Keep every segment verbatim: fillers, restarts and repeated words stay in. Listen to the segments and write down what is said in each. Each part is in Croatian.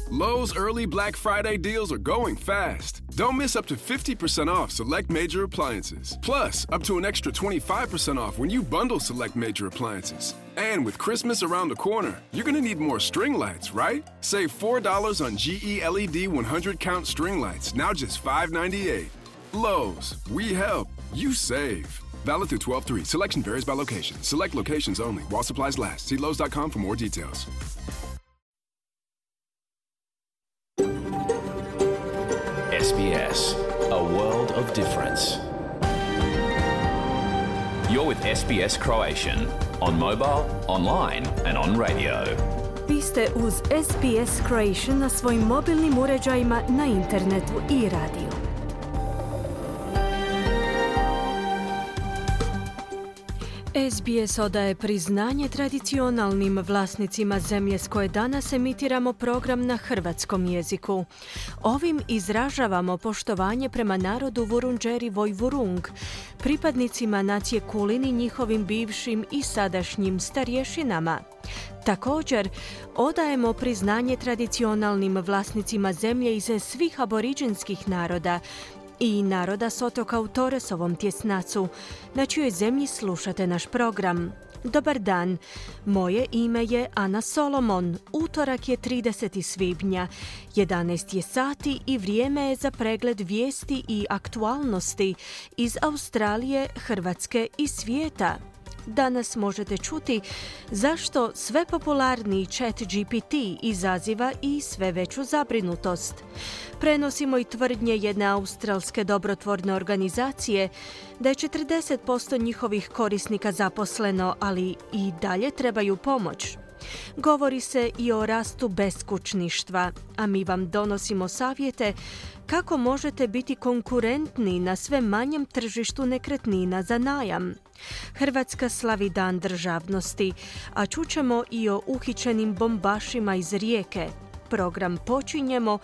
Lowe's early Black Friday deals are going fast. Don't miss up to fifty percent off select major appliances. Plus, up to an extra twenty-five percent off when you bundle select major appliances. And with Christmas around the corner, you're going to need more string lights, right? Save four dollars on G E L E D one hundred count string lights, now just five ninety-eight. Lowe's, we help, you save. Valid through twelve three. Selection varies by location. Select locations only. While supplies last. See Lowe's dot com for more details. S B S, a world of difference. You're with S B S Croatian on mobile, online and on radio. Vi ste uz S B S Croatian na svojim mobilnim uređajima, na internetu i radiju. S B S odaje priznanje tradicionalnim vlasnicima zemlje s koje danas emitiramo program na hrvatskom jeziku. Ovim izražavamo poštovanje prema narodu Vurundjeri Vojvurung, pripadnicima nacije Kulin i njihovim bivšim i sadašnjim starješinama. Također, odajemo priznanje tradicionalnim vlasnicima zemlje iz svih aboriđinskih naroda i naroda s otoka u Torresovom tjesnacu, na čijoj zemlji slušate naš program. Dobar dan, moje ime je Ana Solomon. Utorak je trideseti svibnja, jedanaest je sati i vrijeme je za pregled vijesti i aktualnosti iz Australije, Hrvatske i svijeta. Danas možete čuti zašto sve popularniji Chat G P T izaziva i sve veću zabrinutost. Prenosimo i tvrdnje jedne australske dobrotvorne organizacije da je četrdeset posto njihovih korisnika zaposleno, ali i dalje trebaju pomoć. Govori se i o rastu beskućništva, a mi vam donosimo savjete kako možete biti konkurentni na sve manjem tržištu nekretnina za najam. Hrvatska slavi Dan državnosti, a čućemo i o uhićenim bombašima iz Rijeke. Program počinjemo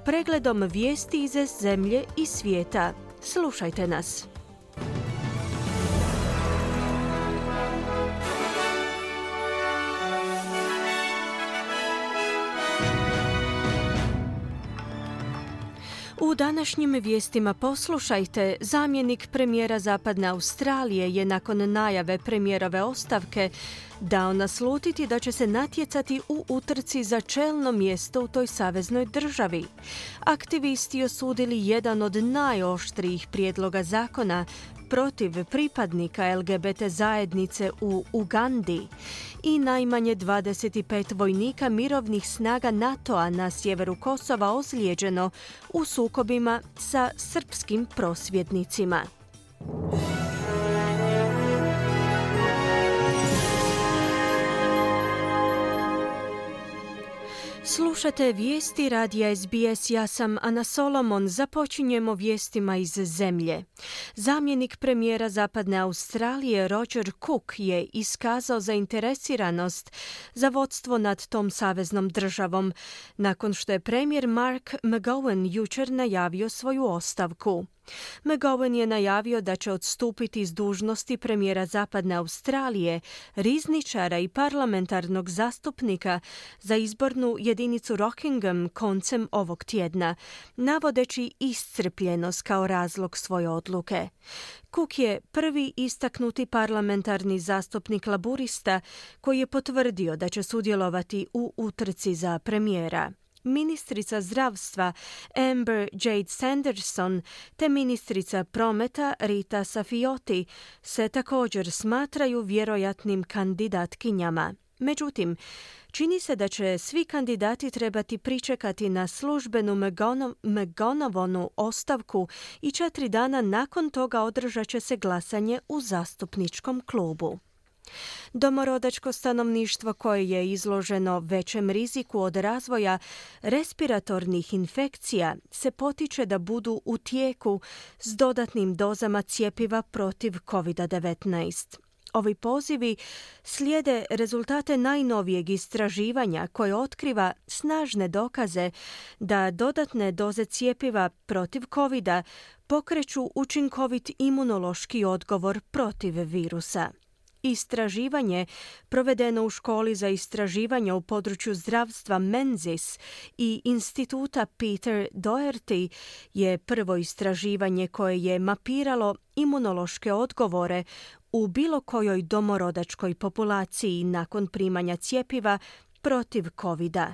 pregledom vijesti iz zemlje i svijeta. Slušajte nas. U današnjim vijestima poslušajte, zamjenik premijera Zapadne Australije je nakon najave premijerove ostavke dao naslutiti da će se natjecati u utrci za čelno mjesto u toj saveznoj državi. Aktivisti osudili jedan od najoštrijih prijedloga zakona protiv pripadnika L G B T zajednice u Ugandi i najmanje dvadeset pet vojnika mirovnih snaga NATO-a na sjeveru Kosova ozlijeđeno u sukobima sa srpskim prosvjednicima. Slušate vijesti radija S B S, ja sam Ana Solomon. Započinjemo vijestima iz zemlje. Zamjenik premijera Zapadne Australije Roger Cook je iskazao zainteresiranost za vodstvo nad tom saveznom državom, nakon što je premijer Mark McGowan jučer najavio svoju ostavku. McGowan je najavio da će odstupiti iz dužnosti premijera Zapadne Australije, rizničara i parlamentarnog zastupnika za izbornu jedinicu Rockingham koncem ovog tjedna, navodeći iscrpljenost kao razlog svoje odluke. Cook je prvi istaknuti parlamentarni zastupnik laburista koji je potvrdio da će sudjelovati u utrci za premijera. Ministrica zdravstva Amber Jade Sanderson te ministrica prometa Rita Safioti se također smatraju vjerojatnim kandidatkinjama. Međutim, čini se da će svi kandidati trebati pričekati na službenu McGonovonu ostavku i četiri dana nakon toga održat će se glasanje u zastupničkom klubu. Domorodačko stanovništvo koje je izloženo većem riziku od razvoja respiratornih infekcija se potiče da budu u tijeku s dodatnim dozama cjepiva protiv covid devetnaest. Ovi pozivi slijede rezultate najnovijeg istraživanja koje otkriva snažne dokaze da dodatne doze cjepiva protiv covida pokreću učinkovit imunološki odgovor protiv virusa. Istraživanje provedeno u školi za istraživanje u području zdravstva Menzies i instituta Peter Doherty je prvo istraživanje koje je mapiralo imunološke odgovore u bilo kojoj domorodačkoj populaciji nakon primanja cjepiva protiv kovida.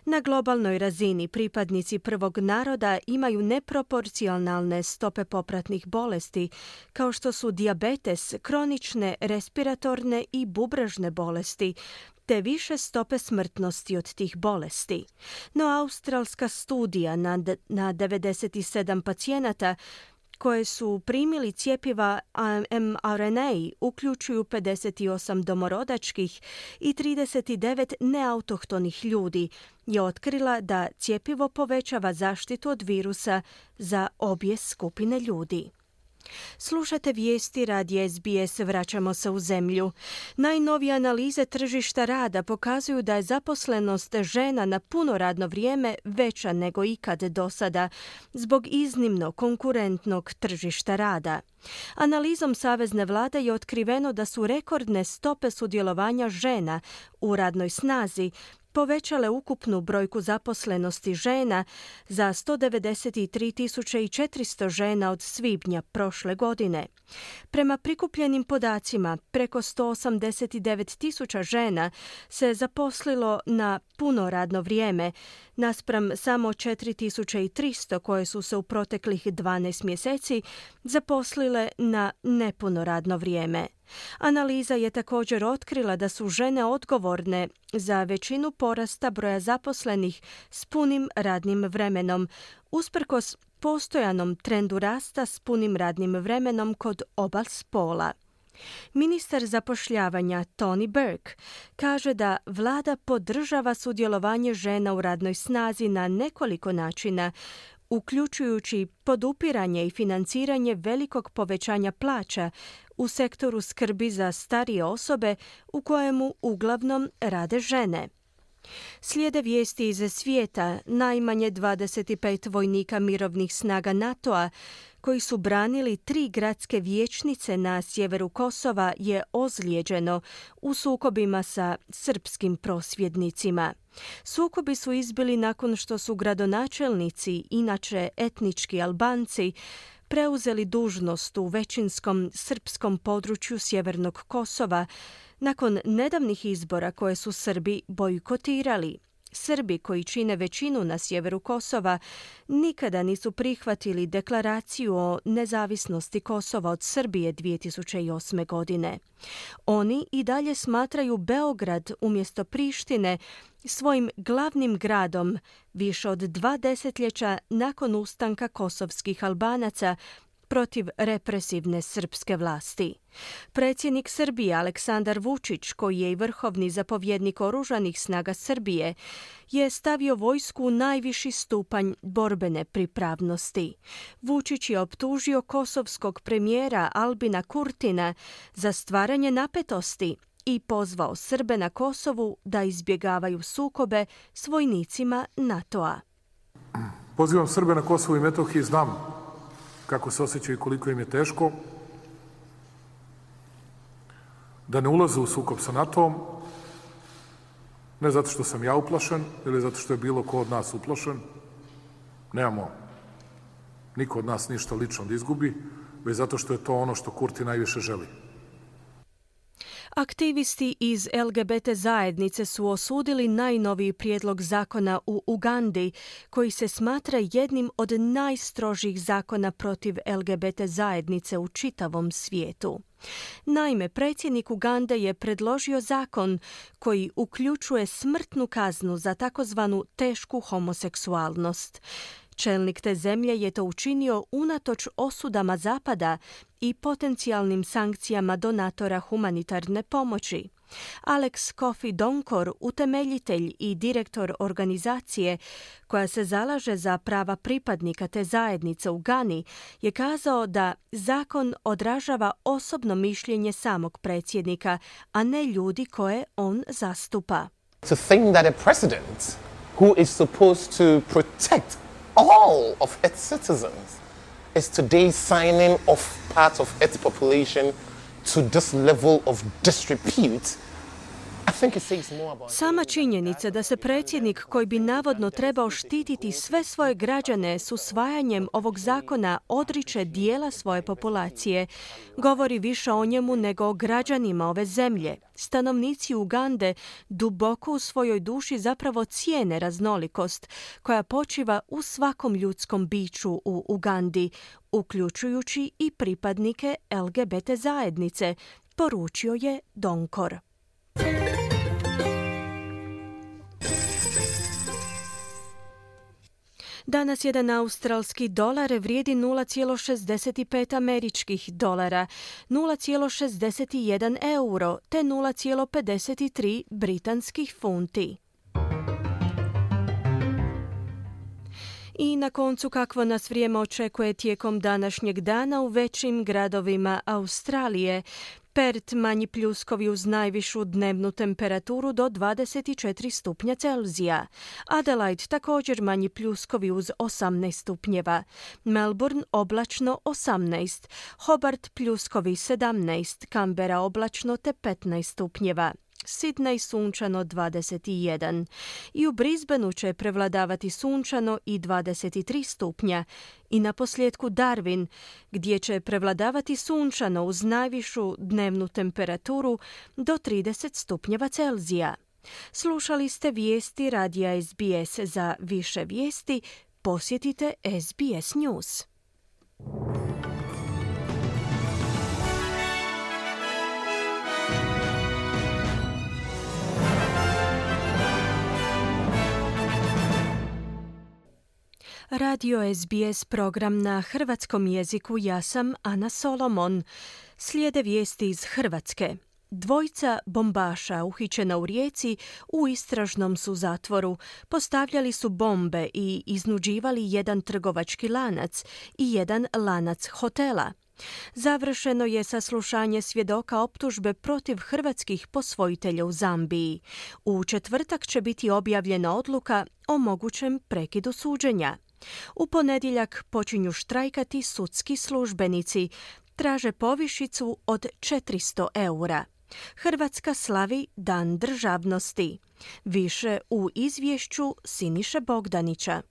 Na globalnoj razini pripadnici prvog naroda imaju neproporcionalne stope popratnih bolesti, kao što su dijabetes, kronične respiratorne i bubrežne bolesti, te više stope smrtnosti od tih bolesti. No australska studija nad, na devedeset sedam pacijenata koje su primili cjepiva em ar en a, uključuju pedeset osam domorodačkih i trideset devet neautohtonih ljudi, je otkrila da cjepivo povećava zaštitu od virusa za obje skupine ljudi. Slušate vijesti radija es be es, vraćamo se u zemlju. Najnovije analize tržišta rada pokazuju da je zaposlenost žena na puno radno vrijeme veća nego ikad do sada, zbog iznimno konkurentnog tržišta rada. Analizom Savezne vlade je otkriveno da su rekordne stope sudjelovanja žena u radnoj snazi povećale ukupnu brojku zaposlenosti žena za sto devedeset tri tisuće četiristo žena od svibnja prošle godine. Prema prikupljenim podacima, preko sto osamdeset devet tisuća žena se zaposlilo na puno radno vrijeme, naspram samo četiri tisuće tristo koje su se u proteklih dvanaest mjeseci zaposlile na nepuno radno vrijeme. Analiza je također otkrila da su žene odgovorne za većinu porasta broja zaposlenih s punim radnim vremenom, usprkos postojanom trendu rasta s punim radnim vremenom kod oba spola. Ministar zapošljavanja Tony Burke kaže da vlada podržava sudjelovanje žena u radnoj snazi na nekoliko načina, uključujući podupiranje i financiranje velikog povećanja plaća u sektoru skrbi za starije osobe u kojemu uglavnom rade žene. Slijede vijesti iz svijeta. Najmanje dvadeset pet vojnika mirovnih snaga NATO-a koji su branili tri gradske vijećnice na sjeveru Kosova je ozlijeđeno u sukobima sa srpskim prosvjednicima. Sukobi su izbili nakon što su gradonačelnici, inače etnički Albanci, preuzeli dužnost u većinskom srpskom području sjevernog Kosova nakon nedavnih izbora koje su Srbi bojkotirali. Srbi koji čine većinu na sjeveru Kosova nikada nisu prihvatili deklaraciju o nezavisnosti Kosova od Srbije dvije tisuće osme. godine. Oni i dalje smatraju Beograd umjesto Prištine svojim glavnim gradom više od dva desetljeća nakon ustanka kosovskih Albanaca protiv represivne srpske vlasti. Predsjednik Srbije Aleksandar Vučić, koji je i vrhovni zapovjednik oružanih snaga Srbije, je stavio vojsku u najviši stupanj borbene pripravnosti. Vučić je optužio kosovskog premijera Albina Kurtina za stvaranje napetosti i pozvao Srbe na Kosovu da izbjegavaju sukobe s vojnicima NATO-a. Pozivam Srbe na Kosovu i Metohiji, znam kako se osjećaju i koliko im je teško, da ne ulaze u sukob sa NATO-om, ne zato što sam ja uplašen ili zato što je bilo ko od nas uplašen, nemamo niko od nas ništa lično da izgubi, već zato što je to ono što Kurti najviše želi. Aktivisti iz el ge be te zajednice su osudili najnoviji prijedlog zakona u Ugandi, koji se smatra jednim od najstrožih zakona protiv el ge be te zajednice u čitavom svijetu. Naime, predsjednik Ugande je predložio zakon koji uključuje smrtnu kaznu za takozvanu tešku homoseksualnost. Čelnik te zemlje je to učinio unatoč osudama Zapada i potencijalnim sankcijama donatora humanitarne pomoći. Alex Kofi Donkor, utemeljitelj i direktor organizacije koja se zalaže za prava pripadnika te zajednice u Gani, je kazao da zakon odražava osobno mišljenje samog predsjednika, a ne ljudi koje on zastupa. To think that a president who is supposed to protect all of its citizens is today signing off part of its population to this level of disrepute, sama činjenica da se predsjednik koji bi navodno trebao štititi sve svoje građane s usvajanjem ovog zakona odriče dijela svoje populacije govori više o njemu nego o građanima ove zemlje. Stanovnici Ugande duboko u svojoj duši zapravo cijene raznolikost koja počiva u svakom ljudskom biću u Ugandi, uključujući i pripadnike L G B T zajednice, poručio je Donkor. Danas jedan australski dolar vrijedi nula zarez šezdeset pet američkih dolara, nula zarez šezdeset jedan euro te nula zarez pedeset tri britanskih funti. I na koncu kakvo nas vrijeme očekuje tijekom današnjeg dana u većim gradovima Australije. Perth manji pljuskovi uz najvišu dnevnu temperaturu do dvadeset četiri stupnja Celzija. Adelaide također manji pljuskovi uz osamnaest stupnjeva. Melbourne oblačno osamnaest. Hobart pljuskovi sedamnaest. Canberra oblačno te petnaest stupnjeva. Sydney sunčano dvadeset jedan. I u Brisbaneu će prevladavati sunčano i dvadeset tri stupnja. I na posljedku Darwin, gdje će prevladavati sunčano uz najvišu dnevnu temperaturu do trideset stupnjeva Celzija. Slušali ste vijesti radija S B S. Za više vijesti posjetite S B S News. Radio S B S program na hrvatskom jeziku, ja sam Ana Solomon. Slijede vijesti iz Hrvatske. Dvojica bombaša uhićena u Rijeci u istražnom su zatvoru. Postavljali su bombe i iznuđivali jedan trgovački lanac i jedan lanac hotela. Završeno je saslušanje svjedoka optužbe protiv hrvatskih posvojitelja u Zambiji. U četvrtak će biti objavljena odluka o mogućem prekidu suđenja. U ponedjeljak počinju štrajkati sudski službenici. Traže povišicu od četiristo eura. Hrvatska slavi Dan državnosti. Više u izvješću Siniše Bogdanića.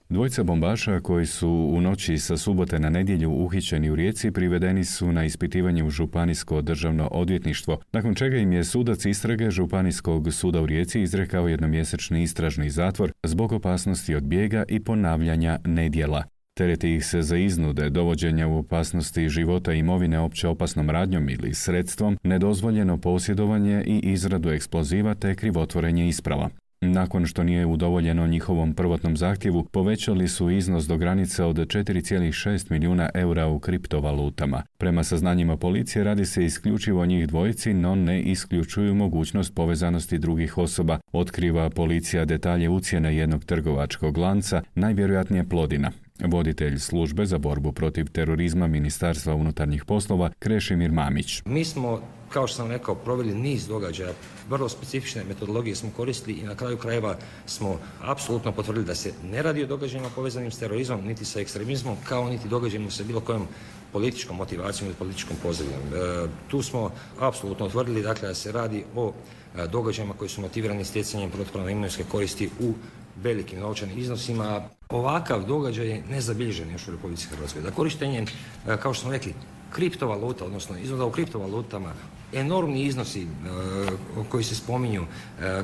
Dvojica bombaša koji su u noći sa subote na nedjelju uhićeni u Rijeci privedeni su na ispitivanje u Županijsko državno odvjetništvo, nakon čega im je sudac istrage Županijskog suda u Rijeci izrekao jednomjesečni istražni zatvor zbog opasnosti od bijega i ponavljanja nedjela. Tereti ih se za iznude, dovođenja u opasnosti života i imovine opće opasnom radnjom ili sredstvom, nedozvoljeno posjedovanje i izradu eksploziva te krivotvorenje isprava. Nakon što nije udovoljeno njihovom prvotnom zahtjevu, povećali su iznos do granice od četiri zarez šest milijuna eura u kriptovalutama. Prema saznanjima policije radi se isključivo o njih dvojici, no ne isključuju mogućnost povezanosti drugih osoba. Otkriva policija detalje ucjene jednog trgovačkog lanca, najvjerojatnije Plodina. Voditelj službe za borbu protiv terorizma Ministarstva unutarnjih poslova Krešimir Mamić. Mi smo, kao što sam rekao, proveli niz događaja, vrlo specifične metodologije smo koristili i na kraju krajeva smo apsolutno potvrdili da se ne radi o događajima povezanim s terorizmom, niti sa ekstremizmom, kao niti događajima sa bilo kojom političkom motivacijom ili političkom pozadinjom. E, tu smo apsolutno utvrdili dakle, da se radi o e, događajima koji su motivirani stjecanjem protupravne imovinske koristi u velikim novčanim iznosima. Ovakav događaj je nezabilježen još u Republici Hrvatskoj. Da korištenje, kao što smo rekli, kriptovaluta, odnosno iznuda u kriptovalutama, enormni iznosi e, koji se spominju, e,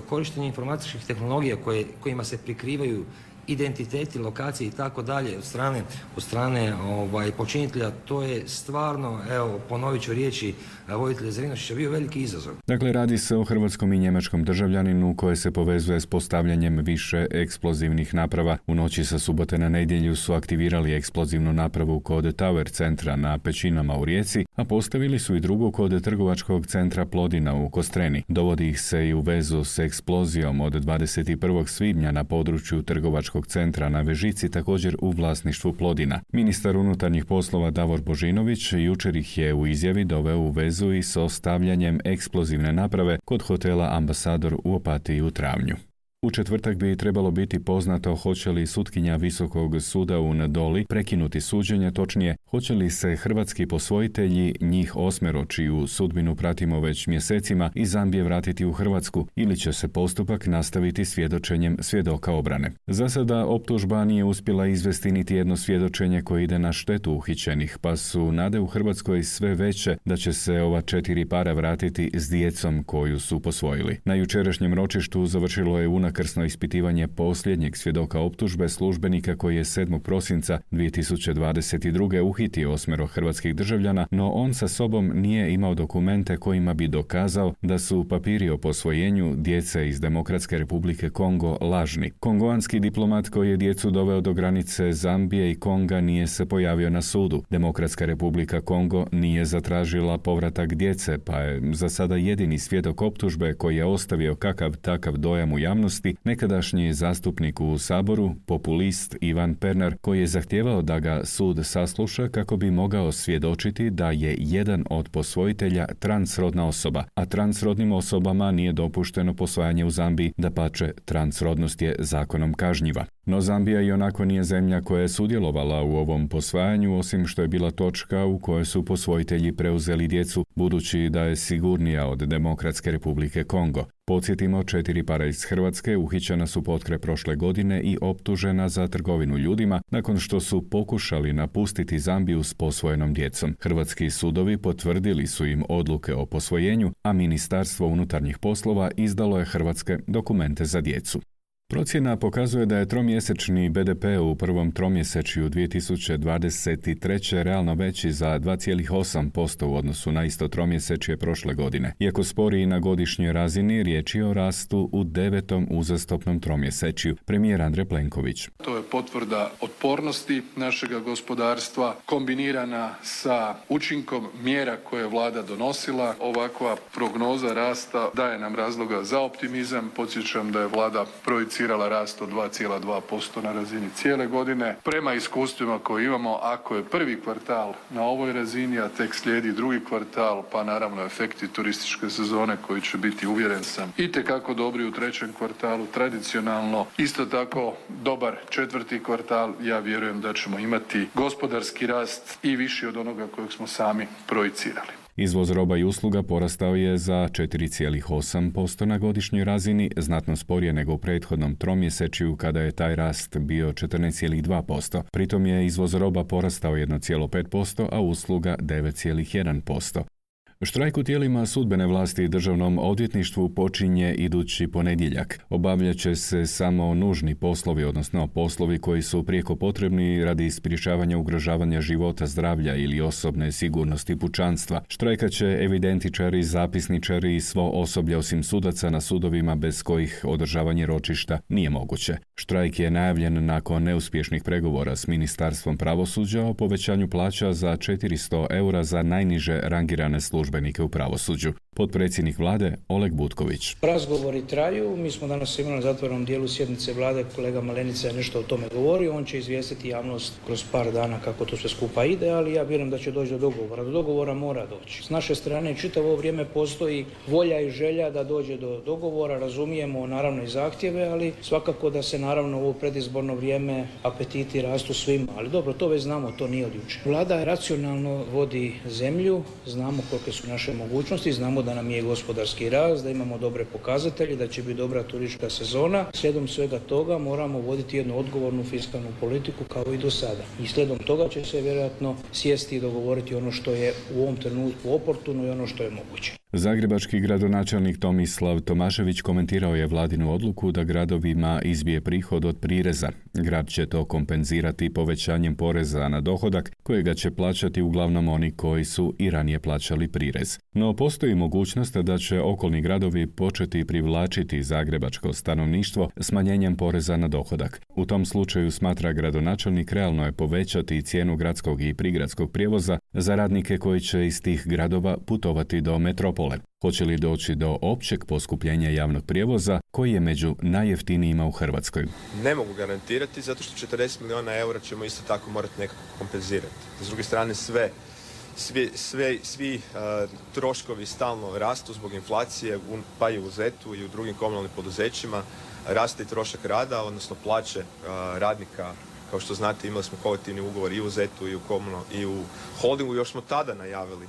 korištenje informatičkih tehnologija koje, kojima se prikrivaju identiteti, lokacije i tako dalje od strane, od strane ovaj, počinitelja, to je stvarno, evo, ponovit ću riječi voditelja Zrinošića, bio veliki izazov. Dakle, radi se o hrvatskom i njemačkom državljaninu koje se povezuje s postavljanjem više eksplozivnih naprava. U noći sa subote na nedjelju su aktivirali eksplozivnu napravu kod Tower centra na Pećinama u Rijeci, a postavili su i drugu kod trgovačkog centra Plodina u Kostreni. Dovodi ih se i u vezu s eksplozijom od dvadeset prvog svibnja na području trgovačkog centra na Vežici, također u vlasništvu Plodina. Ministar unutarnjih poslova Davor Božinović jučer ih je u izjavi doveo u vezu i s ostavljanjem eksplozivne naprave kod hotela Ambasador u Opatiji u travnju. U četvrtak bi trebalo biti poznato hoće li sutkinja Visokog suda u Ndoli prekinuti suđenje, točnije hoće li se hrvatski posvojitelji, njih osmero čiju sudbinu pratimo već mjesecima, iz Zambije vratiti u Hrvatsku ili će se postupak nastaviti svjedočenjem svjedoka obrane. Za sada optužba nije uspjela izvesti niti jedno svjedočenje koje ide na štetu uhićenih, pa su nade u Hrvatskoj sve veće da će se ova četiri para vratiti s djecom koju su posvojili. Na jučerašnjem ročištu završilo je unakrsno ispitivanje posljednjeg svjedoka optužbe, službenika koji je sedmog prosinca dvije tisuće dvadeset druge uhitio osmero hrvatskih državljana, no on sa sobom nije imao dokumente kojima bi dokazao da su papiri o posvojenju djece iz Demokratske Republike Kongo lažni. Kongoanski diplomat koji je djecu doveo do granice Zambije i Konga nije se pojavio na sudu. Demokratska Republika Kongo nije zatražila povratak djece, pa je za sada jedini svjedok optužbe koji je ostavio kakav takav dojam u javnosti nekadašnji zastupnik u Saboru, populist Ivan Pernar, koji je zahtijevao da ga sud sasluša kako bi mogao svjedočiti da je jedan od posvojitelja transrodna osoba, a transrodnim osobama nije dopušteno posvajanje u Zambiji, dapače, transrodnost je zakonom kažnjiva. No Zambija i onako nije zemlja koja je sudjelovala u ovom posvajanju, osim što je bila točka u kojoj su posvojitelji preuzeli djecu, budući da je sigurnija od Demokratske Republike Kongo. Podsjetimo, četiri para iz Hrvatske uhićena su potkraj prošle godine i optužena za trgovinu ljudima nakon što su pokušali napustiti Zambiju s posvojenom djecom. Hrvatski sudovi potvrdili su im odluke o posvojenju, a Ministarstvo unutarnjih poslova izdalo je hrvatske dokumente za djecu. Procjena pokazuje da je tromjesečni be de pe u prvom tromjesečju dvije tisuće dvadeset treće realno veći za dva zarez osam posto u odnosu na isto tromjesečje prošle godine. Iako sporiji na godišnjoj razini, riječ je o rastu u devetom uzastopnom tromjesečju. Premijer Andrej Plenković. To je potvrda otpornosti našega gospodarstva kombinirana sa učinkom mjera koje je vlada donosila. Ovakva prognoza rasta daje nam razloga za optimizam. Podsjećam da je vlada projicirala rast od dva zarez dva posto na razini cijele godine. Prema iskustvima koje imamo, ako je prvi kvartal na ovoj razini, a tek slijedi drugi kvartal, pa naravno efekti turističke sezone koji će biti, uvjeren sam, itekako dobri u trećem kvartalu, tradicionalno isto tako dobar četvrti kvartal, ja vjerujem da ćemo imati gospodarski rast i viši od onoga kojeg smo sami projicirali. Izvoz roba i usluga porastao je za četiri zarez osam posto na godišnjoj razini, znatno sporije nego u prethodnom tromjesečju kada je taj rast bio četrnaest zarez dva posto. Pritom je izvoz roba porastao jedan zarez pet posto, a usluga devet zarez jedan posto. Štrajk u tijelima sudbene vlasti i državnom odvjetništvu počinje idući ponedjeljak. Obavljat će se samo nužni poslovi, odnosno poslovi koji su prijeko potrebni radi sprječavanja ugrožavanja života, zdravlja ili osobne sigurnosti pučanstva. Štrajkat će evidentičari, zapisničari i svo osoblje osim sudaca na sudovima bez kojih održavanje ročišta nije moguće. Štrajk je najavljen nakon neuspješnih pregovora s Ministarstvom pravosuđa o povećanju plaća za četiristo eura za najniže rangirane službenike u pravosuđu. Potpredsjednik vlade Oleg Butković. Razgovori traju, mi smo danas imali na zatvorenom dijelu sjednice vlade, kolega Malenica je nešto o tome govorio, on će izvijestiti javnost kroz par dana kako to sve skupa ide, ali ja vjerujem da će doći do dogovora. Do dogovora mora doći. S naše strane čitavo vrijeme postoji volja i želja da dođe do dogovora, razumijemo naravno i zahtjeve, ali svakako da se naravno u ovo predizborno vrijeme apetiti rastu svima, ali dobro, to već znamo, to nije od jučer. Vlada racionalno vodi zemlju, znamo kolike su naše mogućnosti, znamo da nam je gospodarski rast, da imamo dobre pokazatelje, da će biti dobra turistička sezona. Slijedom svega toga moramo voditi jednu odgovornu fiskalnu politiku kao i do sada. I slijedom toga će se vjerojatno sjesti i dogovoriti ono što je u ovom trenutku oportuno i ono što je moguće. Zagrebački gradonačelnik Tomislav Tomašević komentirao je vladinu odluku da gradovima izbije prihod od prireza. Grad će to kompenzirati povećanjem poreza na dohodak, kojega će plaćati uglavnom oni koji su i ranije plaćali prirez. No postoji mogućnost da će okolni gradovi početi privlačiti zagrebačko stanovništvo smanjenjem poreza na dohodak. U tom slučaju, smatra gradonačelnik, realno je povećati cijenu gradskog i prigradskog prijevoza za radnike koji će iz tih gradova putovati do metropole. Hoće li doći do općeg poskupljenja javnog prijevoza koji je među najjeftinijima u Hrvatskoj? Ne mogu garantirati zato što četrdeset milijuna eura ćemo isto tako morati nekako kompenzirati. S druge strane sve, sve, sve, svi uh, troškovi stalno rastu zbog inflacije, pa i u zetu i u drugim komunalnim poduzećima. raste i trošak rada, odnosno plaće radnika. Kao što znate, imali smo kolektivni ugovor i u zetu i u Komuno i u Holdingu. Još smo tada najavili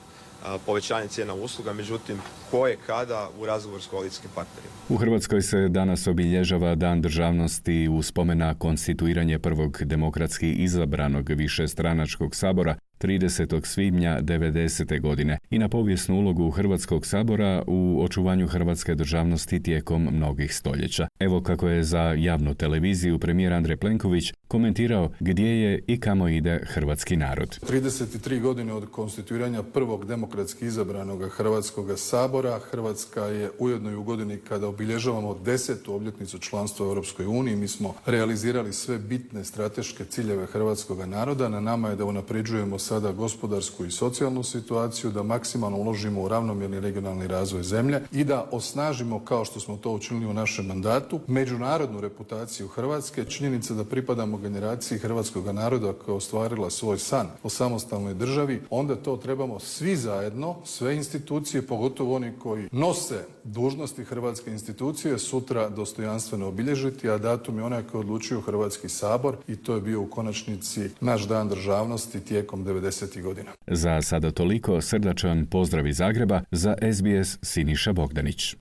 povećanje cijena usluga, međutim, koje kada u razgovoru s koalicijskim partnerima. U Hrvatskoj se danas obilježava Dan državnosti u spomen na konstituiranje prvog demokratski izabranog višestranačkog sabora tridesetog svibnja devedesete godine i na povijesnu ulogu Hrvatskog sabora u očuvanju hrvatske državnosti tijekom mnogih stoljeća. Evo kako je za javnu televiziju premijer Andrej Plenković komentirao gdje je i kamo ide hrvatski narod. trideset tri godine od konstituiranja prvog demokratski izabranog Hrvatskog sabora, Hrvatska je ujedno i u godini kada obilježavamo desetu obljetnicu članstva u Europskoj uniji. Mi smo realizirali sve bitne strateške ciljeve hrvatskog naroda. Na nama je da unapređujemo sada gospodarsku i socijalnu situaciju, da maksimalno uložimo u ravnomjerni regionalni razvoj zemlje i da osnažimo, kao što smo to učinili u našem mandatu, međunarodnu reputaciju Hrvatske. Činjenica da pripadamo generaciji hrvatskog naroda koja je ostvarila svoj san o samostalnoj državi, onda to trebamo svi zajedno, sve institucije, pogotovo oni koji nose dužnosti hrvatske institucije, sutra dostojanstveno obilježiti, a datum je onaj koji odlučuju Hrvatski sabor i to je bio u konačnici naš dan državnosti tijekom devedesetih godina. Za sada toliko, srdačan pozdrav iz Zagreba, za S B S Siniša Bogdanić.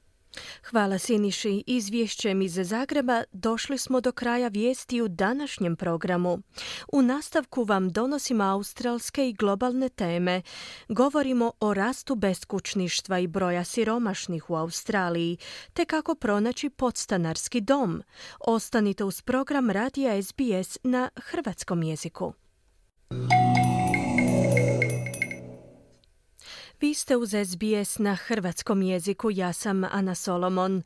Hvala Siniši. Izvješćem iz Zagreba došli smo do kraja vijesti u današnjem programu. U nastavku vam donosimo australske i globalne teme. Govorimo o rastu beskućništva i broja siromašnih u Australiji, te kako pronaći podstanarski dom. Ostanite uz program radija S B S na hrvatskom jeziku. Vi ste uz S B S na hrvatskom jeziku, ja sam Ana Solomon.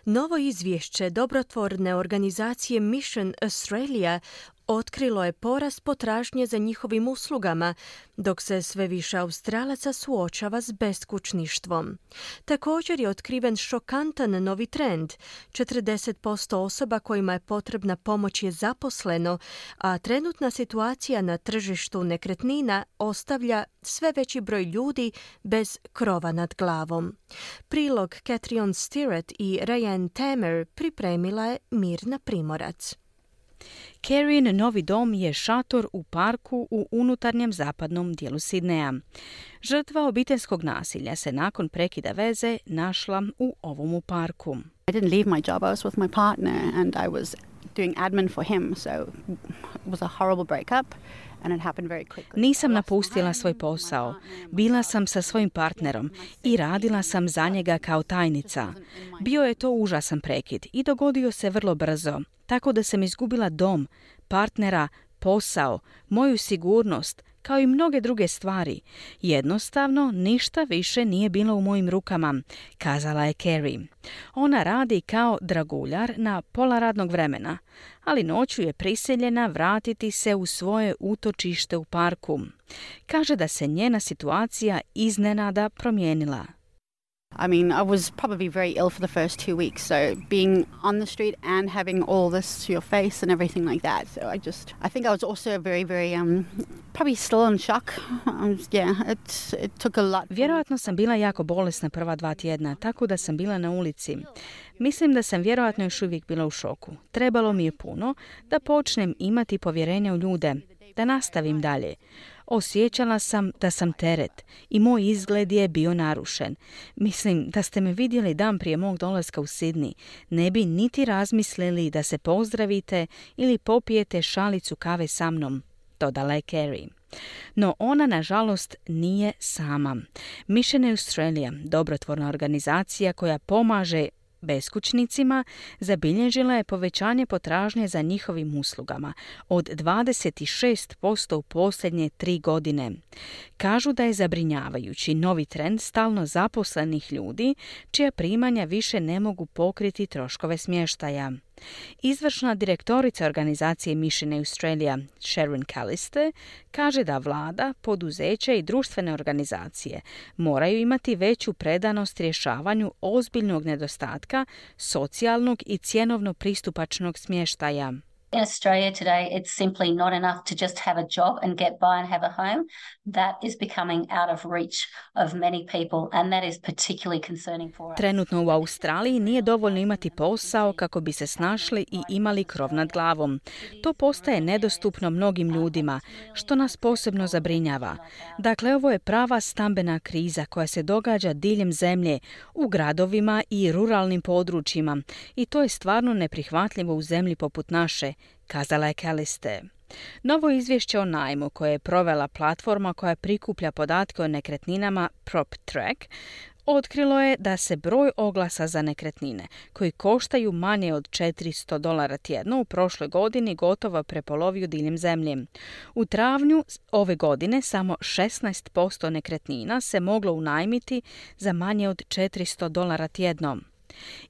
Novo izvješće dobrotvorne organizacije Mission Australia otkrilo je porast potražnje za njihovim uslugama, dok se sve više Australaca suočava s beskućništvom. Također je otkriven šokantan novi trend. četrdeset posto osoba kojima je potrebna pomoć je zaposleno, a trenutna situacija na tržištu nekretnina ostavlja sve veći broj ljudi bez krova nad glavom. Prilog Catriona Stirrett i Ryan Tamer pripremila je Mirna Primorac. Carrien novi dom je šator u parku u unutarnjem zapadnom dijelu Sidneja. Žrtva obiteljskog nasilja se nakon prekida veze našla u ovomu parku. I didn't leave my job. I was with my partner and I was doing admin for him, so it was a horrible breakup. Nisam napustila svoj posao. Bila sam sa svojim partnerom i radila sam za njega kao tajnica. Bio je to užasan prekid i dogodio se vrlo brzo, tako da sam izgubila dom, partnera, posao, moju sigurnost, kao i mnoge druge stvari. Jednostavno, ništa više nije bilo u mojim rukama, kazala je Carrie. Ona radi kao draguljar na pola radnog vremena, ali noću je prisiljena vratiti se u svoje utočište u parku. Kaže da se njena situacija iznenada promijenila. I mean, I was probably very ill for the first two weeks, so being on the street and having all this to your face and everything like that. So I just, I think I was also very, very, um, probably still in shock. Um, yeah, it, it took a lot. Vjerojatno sam bila jako bolesna prva dva tjedna, tako da sam bila na ulici. Mislim da sam vjerojatno još uvijek bila u šoku. Trebalo mi je puno da počnem imati povjerenja u ljude, da nastavim dalje. Osjećala sam da sam teret i moj izgled je bio narušen. Mislim da ste me vidjeli dan prije mog dolaska u Sidney. Ne bi niti razmislili da se pozdravite ili popijete šalicu kave sa mnom, dodala je Carrie. No ona, nažalost, nije sama. Mission Australia, dobrotvorna organizacija koja pomaže beskućnicima, zabilježila je povećanje potražnje za njihovim uslugama od dvadeset šest posto u posljednje tri godine. Kažu da je zabrinjavajući novi trend stalno zaposlenih ljudi čija primanja više ne mogu pokriti troškove smještaja. Izvršna direktorica organizacije Mission Australia, Sharon Callister, kaže da vlada, poduzeća i društvene organizacije moraju imati veću predanost rješavanju ozbiljnog nedostatka socijalnog i cjenovno pristupačnog smještaja. In Australia today, it's simply not enough to just have a job and get by and have a home. That is becoming out of reach of many people, and that is particularly concerning for us. Trenutno u Australiji nije dovoljno imati posao kako bi se snašli i imali krov nad glavom. To postaje nedostupno mnogim ljudima, što nas posebno zabrinjava. Dakle, ovo je prava stambena kriza koja se događa diljem zemlje, u gradovima i ruralnim područjima, i to je stvarno neprihvatljivo u zemlji poput naše, kazala je Calliste. Novo izvješće o najmu koje je provela platforma koja prikuplja podatke o nekretninama PropTrack otkrilo je da se broj oglasa za nekretnine koji koštaju manje od četiristo dolara tjedno u prošloj godini gotovo prepolovio diljem zemlje. U travnju ove godine samo šesnaest posto nekretnina se moglo unajmiti za manje od četiristo dolara tjedno.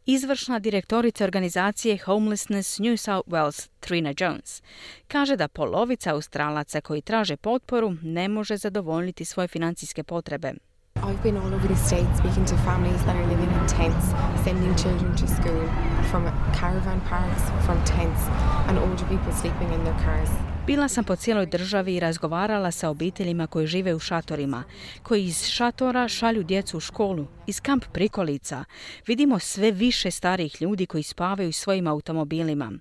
Izvršna direktorica organizacije Homelessness New South Wales, Trina Jones, kaže da polovica Australaca koji traže potporu ne može zadovoljiti svoje financijske potrebe. I've been all over the state speaking to families that are living in tents, sending children to school, from caravan parks, from tents, and older people sleeping in their cars. Bila sam po cijeloj državi i razgovarala sa obiteljima koji žive u šatorima, koji iz šatora šalju djecu u školu, iz kamp prikolica. Vidimo sve više starijih ljudi koji spavaju svojim automobilima.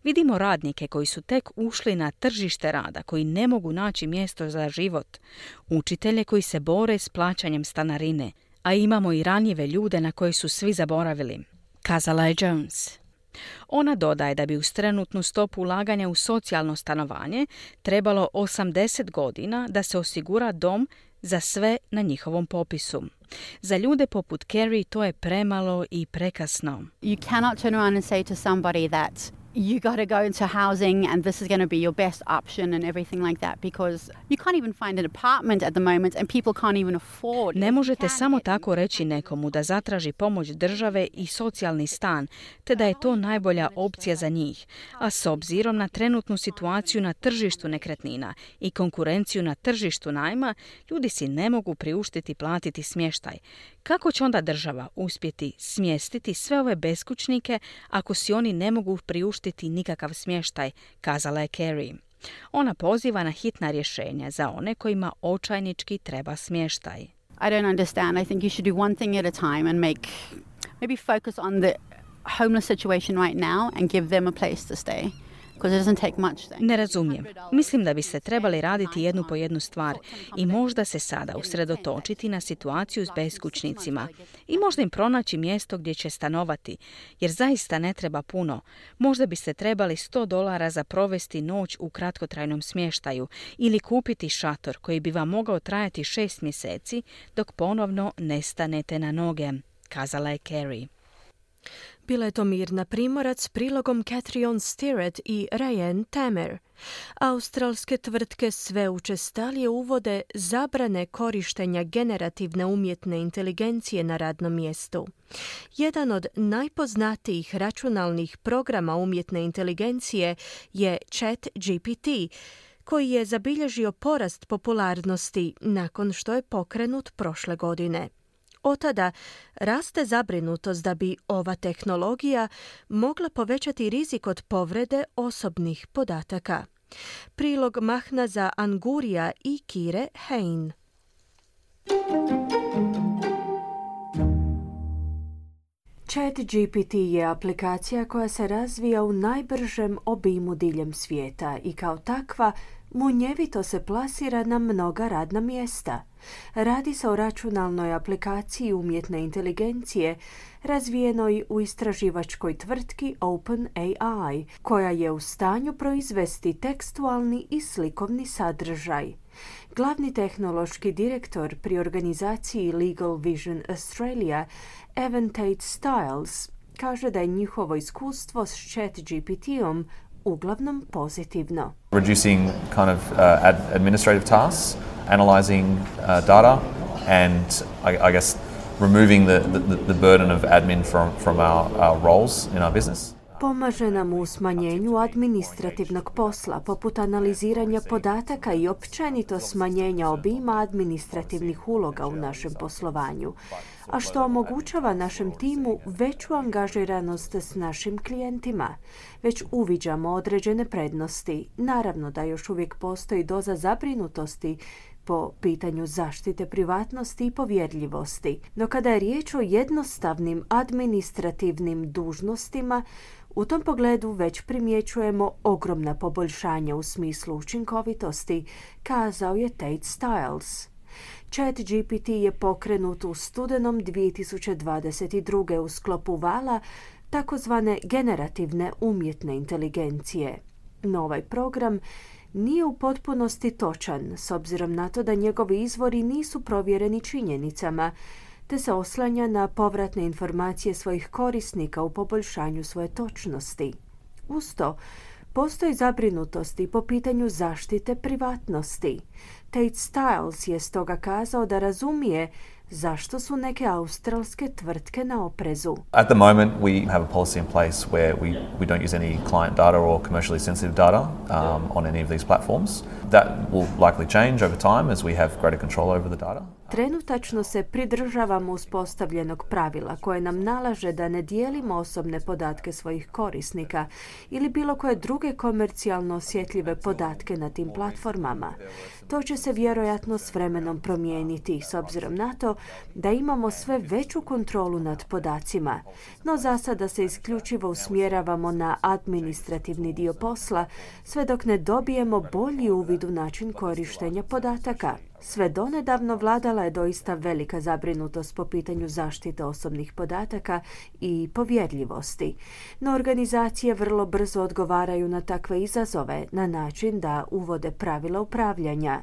Vidimo radnike koji su tek ušli na tržište rada, koji ne mogu naći mjesto za život. Učitelje koji se bore s plaćanjem stanarine, a imamo i ranjive ljude na koje su svi zaboravili, kazala je Jones. Ona dodaje da bi uz trenutnu stopu ulaganja u socijalno stanovanje trebalo osamdeset godina da se osigura dom za sve na njihovom popisu. Za ljude poput Carrie to je premalo i prekasno. You cannot turn around and say to somebody that you got to go into housing and this is going to be your best option and everything like that, because you can't even find an apartment at the moment and people can't even afford. Ne možete samo tako reći nekomu da zatraži pomoć države i socijalni stan, te da je to najbolja opcija za njih. A s obzirom na trenutnu situaciju na tržištu nekretnina i konkurenciju na tržištu najma, ljudi si ne mogu priuštiti platiti smještaj. Kako će onda država uspjeti smjestiti sve ove beskućnike ako si oni ne mogu priuštiti nikakav smještaj, kazala je Carrie. Ona poziva na hitna rješenja za one kojima očajnički treba smještaj. I don't understand. I think you should do one thing at a time and make, maybe focus on the homeless situation right now and give them a place to stay. Ne razumijem. Mislim da bi se trebali raditi jednu po jednu stvar i možda se sada usredotočiti na situaciju s beskućnicima i možda im pronaći mjesto gdje će stanovati, jer zaista ne treba puno. Možda biste trebali sto dolara za provesti noć u kratkotrajnom smještaju ili kupiti šator koji bi vam mogao trajati šest mjeseci dok ponovno ne stanete na noge, kazala je Carrie. Bila je to Mirna Primorac s prilogom Catriona Stirrett i Ryan Tamer. Australske tvrtke sve učestalije uvode zabrane korištenja generativne umjetne inteligencije na radnom mjestu. Jedan od najpoznatijih računalnih programa umjetne inteligencije je ChatGPT, koji je zabilježio porast popularnosti nakon što je pokrenut prošle godine. Od tada raste zabrinutost da bi ova tehnologija mogla povećati rizik od povrede osobnih podataka. Prilog Mahnaza Angurija i Kire Hein. ChatGPT je aplikacija koja se razvija u najbržem obimu diljem svijeta i kao takva munjevito se plasira na mnoga radna mjesta. Radi se o računalnoj aplikaciji umjetne inteligencije razvijenoj u istraživačkoj tvrtki OpenAI, koja je u stanju proizvesti tekstualni i slikovni sadržaj. Glavni tehnološki direktor pri organizaciji Legal Vision Australia, Evan Tate Stiles, kaže da je njihovo iskustvo s ChatGPT-om uglavnom pozitivno. Reducing kind of uh, ad- administrative tasks, analyzing uh, data, and I, I guess removing the, the, the burden of admin from, from our, our roles in our business. Pomaže nam u smanjenju administrativnog posla, poput analiziranja podataka i općenito smanjenja obima administrativnih uloga u našem poslovanju, a što omogućava našem timu veću angažiranost s našim klijentima. Već uviđamo određene prednosti. Naravno da još uvijek postoji doza zabrinutosti po pitanju zaštite privatnosti i povjerljivosti. No kada je riječ o jednostavnim administrativnim dužnostima, u tom pogledu već primjećujemo ogromna poboljšanja u smislu učinkovitosti, kazao je Tate Stiles. ChatGPT je pokrenut u studenom dvije tisuće dvadeset druge u sklopu vala takozvane generativne umjetne inteligencije. No ovaj program nije u potpunosti točan, s obzirom na to da njegovi izvori nisu provjereni činjenicama, te se oslanja na povratne informacije svojih korisnika u poboljšanju svoje točnosti. Uz to, postoji zabrinutosti po pitanju zaštite privatnosti. Tate Stiles je stoga kazao da razumije zašto su neke australske tvrtke na oprezu. At the moment, we have a policy in place where we, we don't use any client data or commercially sensitive data um, on any of these platforms. That will likely change over time as we have greater control over the data. Trenutačno se pridržavamo uspostavljenog pravila koje nam nalaže da ne dijelimo osobne podatke svojih korisnika ili bilo koje druge komercijalno osjetljive podatke na tim platformama. To će se vjerojatno s vremenom promijeniti s obzirom na to da imamo sve veću kontrolu nad podacima, no za sada se isključivo usmjeravamo na administrativni dio posla sve dok ne dobijemo bolji uvid u način korištenja podataka. Sve donedavno vladala je doista velika zabrinutost po pitanju zaštite osobnih podataka i povjerljivosti, no organizacije vrlo brzo odgovaraju na takve izazove na način da uvode pravila upravljanja.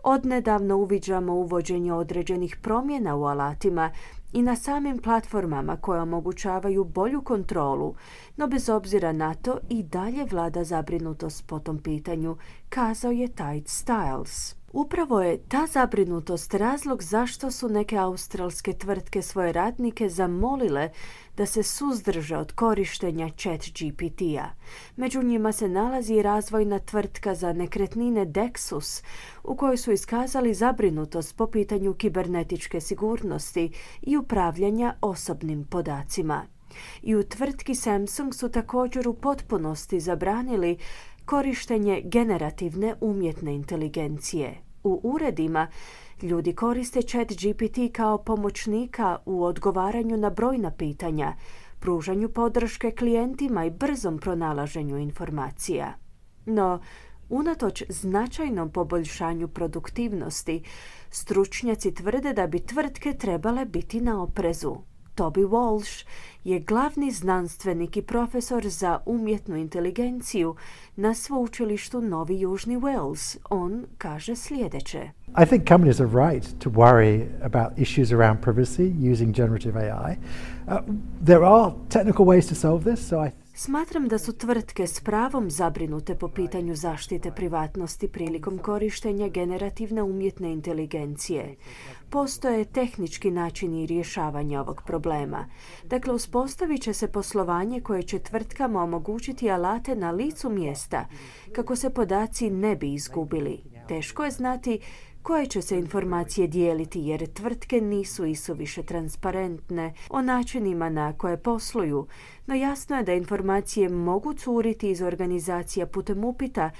Odnedavno uviđamo uvođenje određenih promjena u alatima i na samim platformama koje omogućavaju bolju kontrolu, no bez obzira na to i dalje vlada zabrinutost po tom pitanju, kazao je Tate Stiles. Upravo je ta zabrinutost razlog zašto su neke australske tvrtke svoje radnike zamolile da se suzdrže od korištenja ChatGPT-a. Među njima se nalazi i razvojna tvrtka za nekretnine Dexus, u kojoj su iskazali zabrinutost po pitanju kibernetičke sigurnosti i upravljanja osobnim podacima. I u tvrtki Samsung su također u potpunosti zabranili korištenje generativne umjetne inteligencije. U uredima ljudi koriste ChatGPT kao pomoćnika u odgovaranju na brojna pitanja, pružanju podrške klijentima i brzom pronalaženju informacija. No, unatoč značajnom poboljšanju produktivnosti, stručnjaci tvrde da bi tvrtke trebale biti na oprezu. Toby Walsh je glavni znanstvenik i profesor za umjetnu inteligenciju na sveučilištu Novi Južni Wales. On kaže sljedeće. I think companies are right to worry about issues around privacy using generative A I. Uh, there are technical ways to solve this, so I Smatram da su tvrtke s pravom zabrinute po pitanju zaštite privatnosti prilikom korištenja generativne umjetne inteligencije. Postoje tehnički načini rješavanja ovog problema. Dakle, uspostavit će se poslovanje koje će tvrtkama omogućiti alate na licu mjesta kako se podaci ne bi izgubili. Teško je znati koje će se informacije dijeliti jer tvrtke nisu isuviše transparentne o načinima na koje posluju, no jasno je da informacije mogu curiti iz organizacija putem upita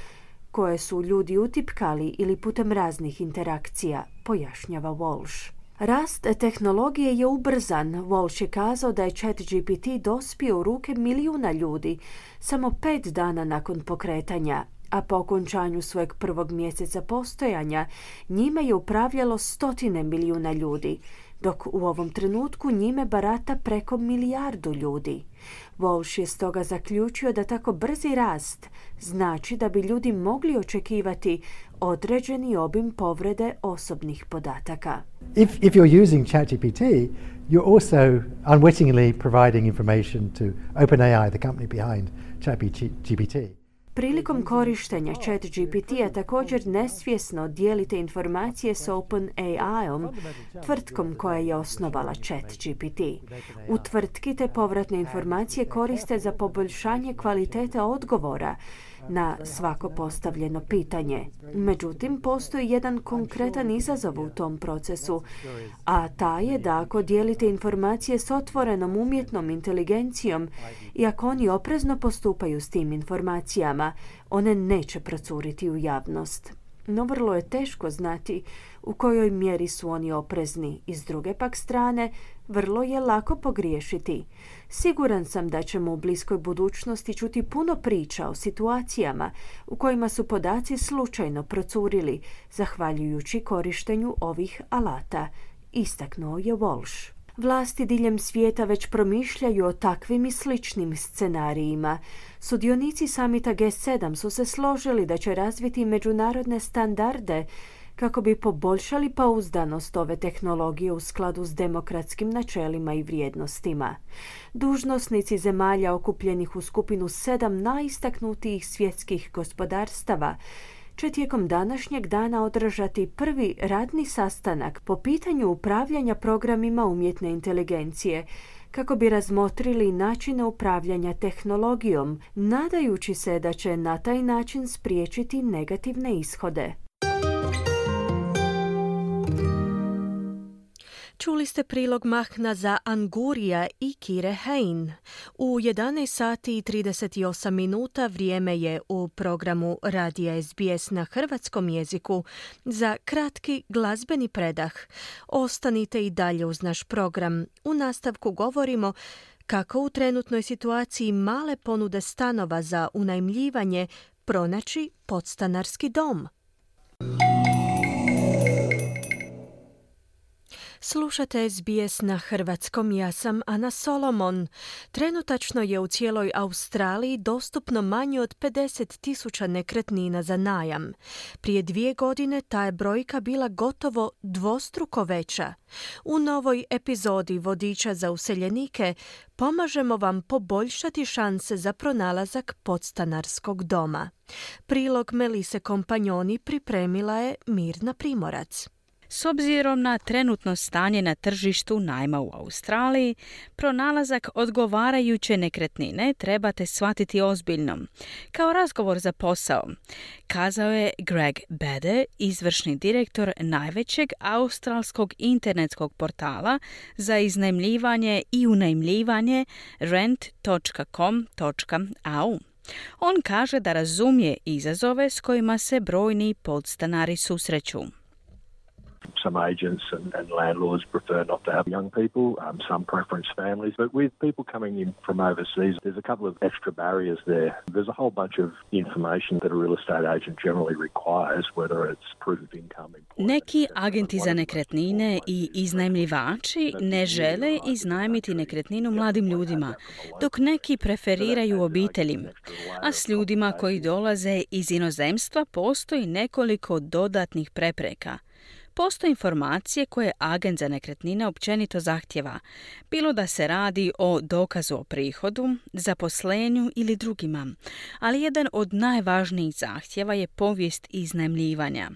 koje su ljudi utipkali ili putem raznih interakcija, pojašnjava Walsh. Rast tehnologije je ubrzan. Walsh je kazao da je ChatGPT dospio u ruke milijuna ljudi samo pet dana nakon pokretanja, a po okončanju svojeg prvog mjeseca postojanja njime je upravljalo stotine milijuna ljudi, dok u ovom trenutku njime barata preko milijardu ljudi. Walsh je stoga zaključio da tako brzi rast znači da bi ljudi mogli očekivati određeni obim povrede osobnih podataka. If, if you're using ChatGPT, you're also unwittingly providing information to OpenAI, the company behind ChatGPT. prilikom korištenja ChatGPT-a također nesvjesno dijelite informacije s OpenAI-om, tvrtkom koja je osnovala ChatGPT. U tvrtki te povratne informacije koriste za poboljšanje kvalitete odgovora na svako postavljeno pitanje. Međutim, postoji jedan konkretan izazov u tom procesu, a taj je da ako dijelite informacije s otvorenom umjetnom inteligencijom i ako oni oprezno postupaju s tim informacijama, one neće procuriti u javnost. No vrlo je teško znati u kojoj mjeri su oni oprezni i s druge pak strane vrlo je lako pogriješiti. Siguran sam da ćemo u bliskoj budućnosti čuti puno priča o situacijama u kojima su podaci slučajno procurili zahvaljujući korištenju ovih alata, istaknuo je Walsh. Vlasti diljem svijeta već promišljaju o takvim i sličnim scenarijima. Sudionici samita G sedam su se složili da će razviti međunarodne standarde kako bi poboljšali pouzdanost ove tehnologije u skladu s demokratskim načelima i vrijednostima. Dužnosnici zemalja okupljenih u skupinu sedam najistaknutijih svjetskih gospodarstava će tijekom današnjeg dana održati prvi radni sastanak po pitanju upravljanja programima umjetne inteligencije, kako bi razmotrili načine upravljanja tehnologijom, nadajući se da će na taj način spriječiti negativne ishode. Čuli ste prilog Mahnaza Angurija i Kire Hein. U jedanaest sati i trideset osam minuta vrijeme je u programu Radija S B S na hrvatskom jeziku za kratki glazbeni predah. Ostanite i dalje uz naš program. U nastavku govorimo kako u trenutnoj situaciji male ponude stanova za unajmljivanje pronaći podstanarski dom. Slušate S B S na hrvatskom, ja sam Ana Solomon. Trenutačno je u cijeloj Australiji dostupno manje od pedeset tisuća nekretnina za najam. Prije dvije godine ta je brojka bila gotovo dvostruko veća. U novoj epizodi Vodiča za useljenike pomažemo vam poboljšati šanse za pronalazak podstanarskog doma. Prilog Melise Kompanjoni pripremila je Mirna Primorac. S obzirom na trenutno stanje na tržištu najma u Australiji, pronalazak odgovarajuće nekretnine trebate shvatiti ozbiljno, kao razgovor za posao, kazao je Greg Bede, izvršni direktor najvećeg australskog internetskog portala za iznajmljivanje i unajmljivanje rent dot com dot a u. On kaže da razumije izazove s kojima se brojni podstanari susreću. Some agents and, and landlords prefer not to have young people, um, some preference families, but with people coming in from overseas, there's a couple of extra barriers there. There's a whole bunch of information that a real estate agent generally requires, whether it's proof of income. Neki agenti za nekretnine i iznajmljivači ne žele iznajmiti nekretninu mladim ljudima, dok neki preferiraju obitelji. A s ljudima koji dolaze iz inozemstva postoji nekoliko dodatnih prepreka. Postoje informacije koje agent za nekretnine općenito zahtjeva, bilo da se radi o dokazu o prihodu, zaposlenju ili drugima, ali jedan od najvažnijih zahtjeva je povijest iznajmljivanja.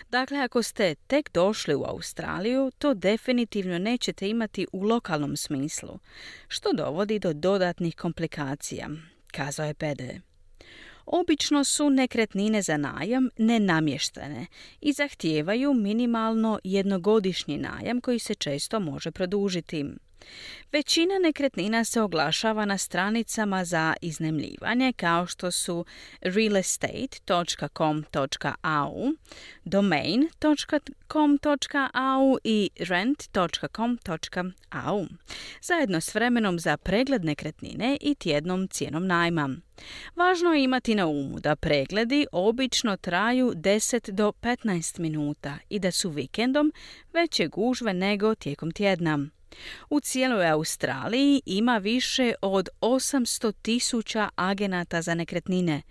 Dakle, ako ste tek došli u Australiju, to definitivno nećete imati u lokalnom smislu, što dovodi do dodatnih komplikacija, kazao je Pede. Obično su nekretnine za najam nenamještene i zahtijevaju minimalno jednogodišnji najam koji se često može produžiti. Većina nekretnina se oglašava na stranicama za iznajmljivanje kao što su real estate dot com dot a u, domain dot com dot a u i rent dot com dot a u, zajedno s vremenom za pregled nekretnine i tjednom cijenom najma. Važno je imati na umu da pregledi obično traju deset do petnaest minuta i da su vikendom veće gužve nego tijekom tjedna. U cijeloj Australiji ima više od osamsto tisuća agenata za nekretnine.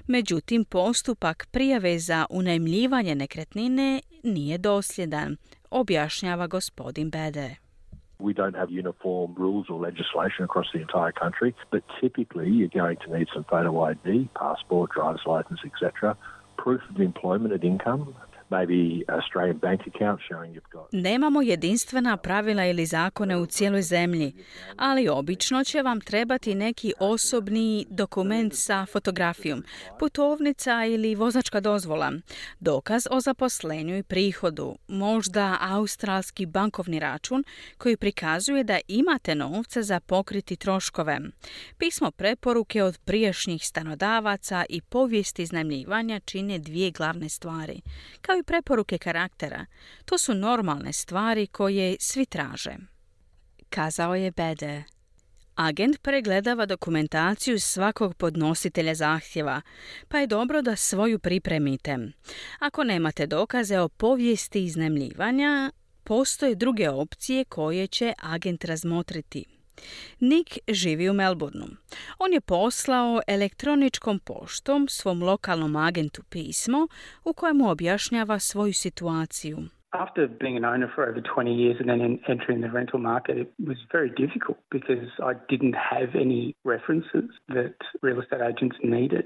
Međutim, postupak prijave za unajmljivanje nekretnine nije dosljedan, objašnjava gospodin Bede. We don't have uniform rules or legislation across the entire country, but typically you're going to need some photo I D, passport, driver's license, et cetera, proof of employment and income, maybe Australian bank account showing you've got. Nemamo jedinstvena pravila ili zakone u cijeloj zemlji, ali obično će vam trebati neki osobni dokument sa fotografijom, putovnica ili vozačka dozvola, dokaz o zaposlenju i prihodu, možda australski bankovni račun koji prikazuje da imate novca za pokriti troškove, pismo preporuke od prijašnjih stanodavaca i povijesti iznajmljivanja čine dvije glavne stvari, kao i preporuke karaktera. To su normalne stvari koje svi traže. Kazao je Bede. Agent pregledava dokumentaciju svakog podnositelja zahtjeva, pa je dobro da svoju pripremite. Ako nemate dokaze o povijesti iznajmljivanja, postoje druge opcije koje će agent razmotriti. Nick živi u Melbourneu. On je poslao elektroničkom poštom svom lokalnom agentu pismo u kojemu objašnjava svoju situaciju. After being an owner for over twenty years and then entering the rental market, it was very difficult because I didn't have any references that real estate agents needed.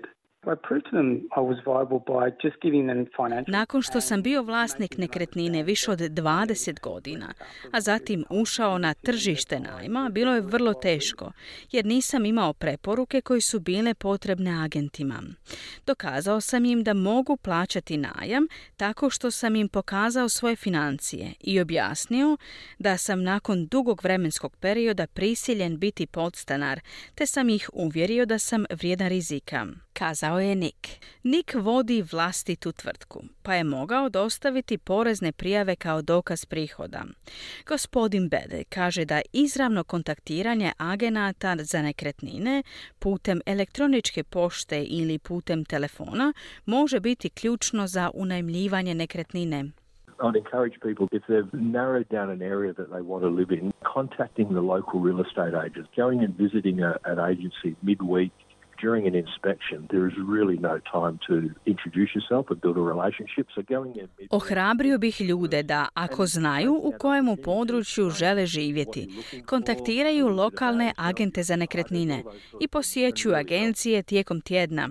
Nakon što sam bio vlasnik nekretnine više od dvadeset godina, a zatim ušao na tržište najma, bilo je vrlo teško, jer nisam imao preporuke koje su bile potrebne agentima. Dokazao sam im da mogu plaćati najam tako što sam im pokazao svoje financije i objasnio da sam nakon dugog vremenskog perioda prisiljen biti podstanar, te sam ih uvjerio da sam vrijedan rizika. Kazao je Nick. Nick vodi vlastitu tvrtku, pa je mogao dostaviti porezne prijave kao dokaz prihoda. Gospodin Bede kaže da izravno kontaktiranje agenata za nekretnine putem elektroničke pošte ili putem telefona može biti ključno za unajmljivanje nekretnine. I'd encourage people, if they've narrowed down an area that they want to live in, contacting the local real estate agents, going and visiting a, an agency midweek, during an inspection, there is really no time to introduce yourself and build a relationship. So going in mid- Ohrabrio bih ljude da, ako znaju u kojemu području žele živjeti, kontaktiraju lokalne agente za nekretnine i posjećuju agencije tijekom tjedna.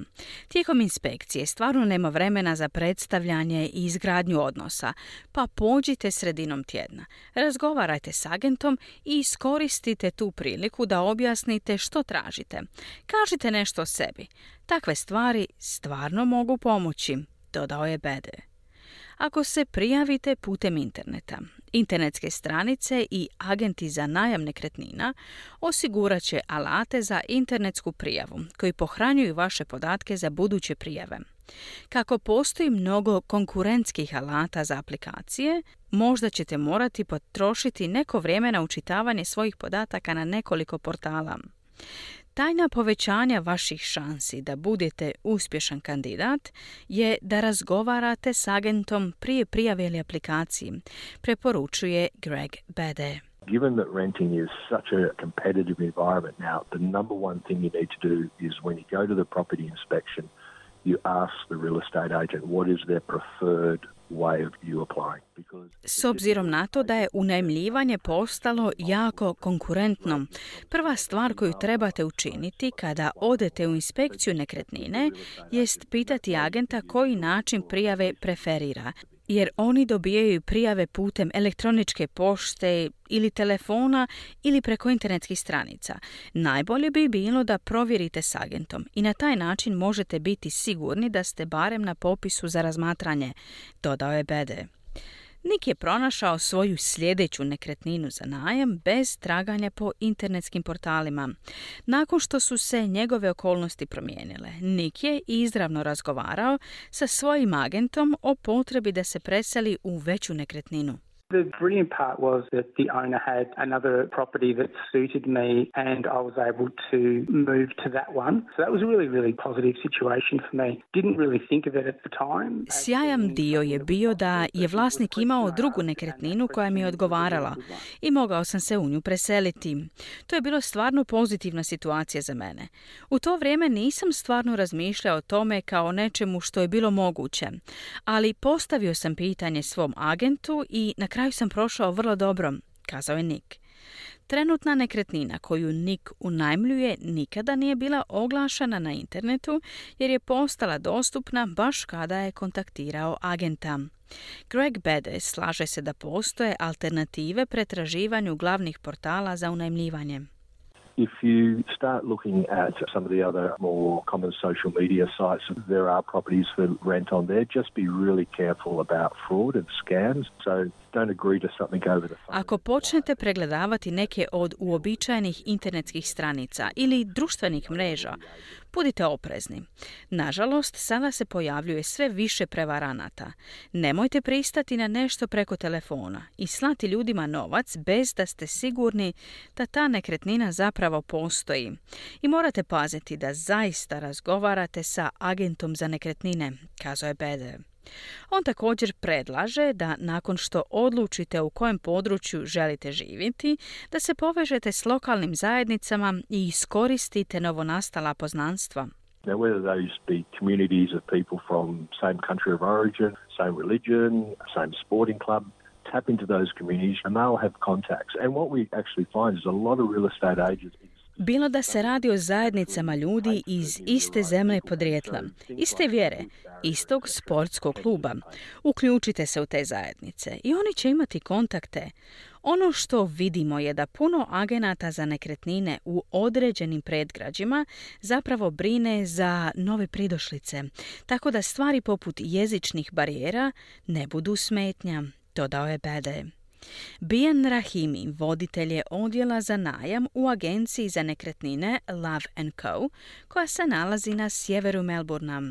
Tijekom inspekcije stvarno nema vremena za predstavljanje i izgradnju odnosa, pa pođite sredinom tjedna. Razgovarajte s agentom i iskoristite tu priliku da objasnite što tražite. Kažite nešto o sebi. Takve stvari stvarno mogu pomoći, dodao je Bede. Ako se prijavite putem interneta, internetske stranice i agenti za najam nekretnina osigurat će alate za internetsku prijavu koji pohranjuju vaše podatke za buduće prijave. Kako postoji mnogo konkurentskih alata za aplikacije, možda ćete morati potrošiti neko vrijeme na učitavanje svojih podataka na nekoliko portala. Tajna povećanja vaših šansi da budete uspješan kandidat je da razgovarate s agentom prije prijave ili aplikaciji, preporučuje Greg Bede. Given that renting is such a competitive environment now, the number one thing you need to do is when you go to the property inspection, you ask the real estate agent what is their preferred way of you applying. S obzirom na to da je unajmljivanje postalo jako konkurentno, prva stvar koju trebate učiniti kada odete u inspekciju nekretnine jest pitati agenta koji način prijave preferira, jer oni dobijaju prijave putem elektroničke pošte ili telefona ili preko internetskih stranica. Najbolje bi bilo da provjerite s agentom i na taj način možete biti sigurni da ste barem na popisu za razmatranje, dodao je Bede. Nick je pronašao svoju sljedeću nekretninu za najam bez traganja po internetskim portalima. Nakon što su se njegove okolnosti promijenile, Nick je izravno razgovarao sa svojim agentom o potrebi da se preseli u veću nekretninu. The brilliant part was that the owner had another property that suited me and I was able to move to that one. So that was a really, really positive situation for me. Didn't really think of it at the time. Sjajan dio je bio da je vlasnik imao drugu nekretninu koja mi je odgovarala i mogao sam se u nju preseliti. To je bilo stvarno pozitivna situacija za mene. U to vrijeme nisam stvarno razmišljao o tome kao nečemu što je bilo moguće, ali postavio sam pitanje svom agentu i na kraju sam prošao vrlo dobro, kazao je Nick. Trenutna nekretnina koju Nick unajmljuje nikada nije bila oglašena na internetu jer je postala dostupna baš kada je kontaktirao agenta. Greg Bede slaže se da postoje alternative pretraživanju glavnih portala za unajmljivanje. If you start looking at some of the other more common social media sites, there are properties for rent on there. Just be really careful about fraud and scams. So don't agree to something over the phone. Ako počnete pregledavati neke od uobičajenih internetskih stranica ili društvenih mreža, budite oprezni. Nažalost, sada se pojavljuje sve više prevaranata. Nemojte pristati na nešto preko telefona i slati ljudima novac bez da ste sigurni da ta nekretnina zapravo postoji. I morate paziti da zaista razgovarate sa agentom za nekretnine, kazao je Bede. On također predlaže da nakon što odlučite u kojem području želite živjeti, da se povežete s lokalnim zajednicama i iskoristite novonastala poznanstva. Now, whether those be communities of people from same country of origin, same religion, same sporting club, tap into those communities and they'll have contacts. And what we actually find is a lot of real estate agents. Bilo da se radi o zajednicama ljudi iz iste zemlje podrijetla, iste vjere, istog sportskog kluba. Uključite se u te zajednice i oni će imati kontakte. Ono što vidimo je da puno agenata za nekretnine u određenim predgrađima zapravo brine za nove pridošlice, tako da stvari poput jezičnih barijera ne budu smetnja, dodao je Bede. Bian Rahimi, voditelj je odjela za najam u agenciji za nekretnine Love and Co, koja se nalazi na sjeveru Melbournea.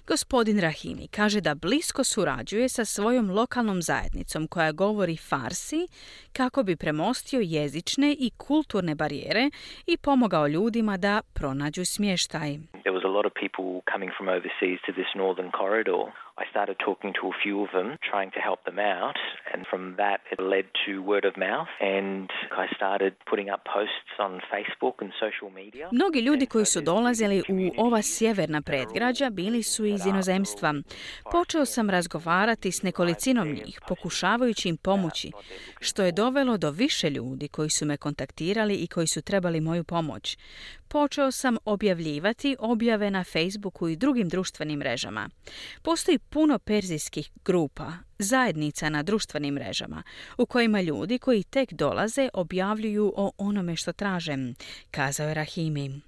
Gospodin Rahimi kaže da blisko surađuje sa svojom lokalnom zajednicom koja govori farsi kako bi premostio jezične i kulturne barijere i pomogao ljudima da pronađu smještaj. There was a lot of people coming from overseas to this northern corridor. I started talking to a few of them, trying to help them out, and from that it led to word of mouth, and I started putting up posts on Facebook and social media. Mnogi ljudi koji su dolazili u ova sjeverna predgrađa bili su iz inozemstva. Počeo sam razgovarati s nekolicinom njih, pokušavajući im pomoći, što je dovelo do više ljudi koji su me kontaktirali i koji su trebali moju pomoć. Počeo sam objavljivati objave na Facebooku i drugim društvenim mrežama. Postoji puno perzijskih grupa, zajednica na društvenim mrežama, u kojima ljudi koji tek dolaze objavljuju o onome što traže, kazao je Rahimi.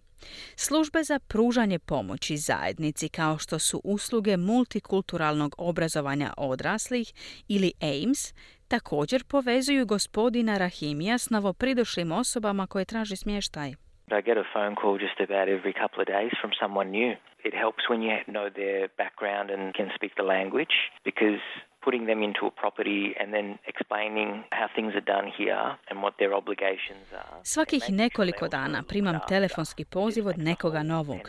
Službe za pružanje pomoći zajednici kao što su usluge multikulturalnog obrazovanja odraslih ili A I M S također povezuju gospodina Rahimija s novopridošlim osobama koje traže smještaj. I get a phone call just about every couple of days from someone new. It helps when you know their background and can speak the language, because putting them into a property and then explaining how things are done here and what their obligations are. Svakih nekoliko dana primam telefonski poziv od nekoga novog.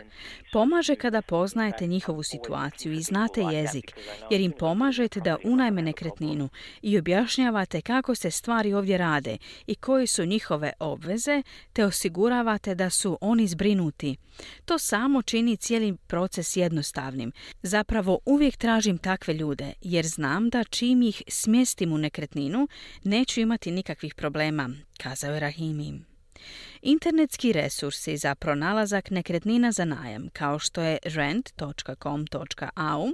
Pomaže kada poznajete njihovu situaciju i znate jezik, jer im pomažete da unajme nekretninu i objašnjavate kako se stvari ovdje rade i koje su njihove obveze, te osiguravate da su oni zbrinuti. To samo čini cijeli proces jednostavnim. Zapravo uvijek tražim takve ljude, jer znam da čim ih smjestim u nekretninu, neću imati nikakvih problema, kazao je Rahimi. Internetski resursi za pronalazak nekretnina za najam, kao što je rent dot com dot a u,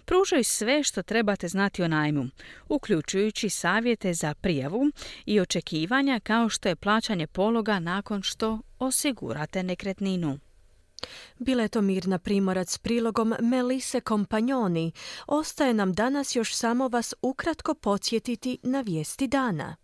pružaju sve što trebate znati o najmu, uključujući savjete za prijavu i očekivanja kao što je plaćanje pologa nakon što osigurate nekretninu. Bila je to Mirna Primorac s prilogom Melise Kompanjoni. Ostaje nam danas još samo vas ukratko podsjetiti na vijesti dana.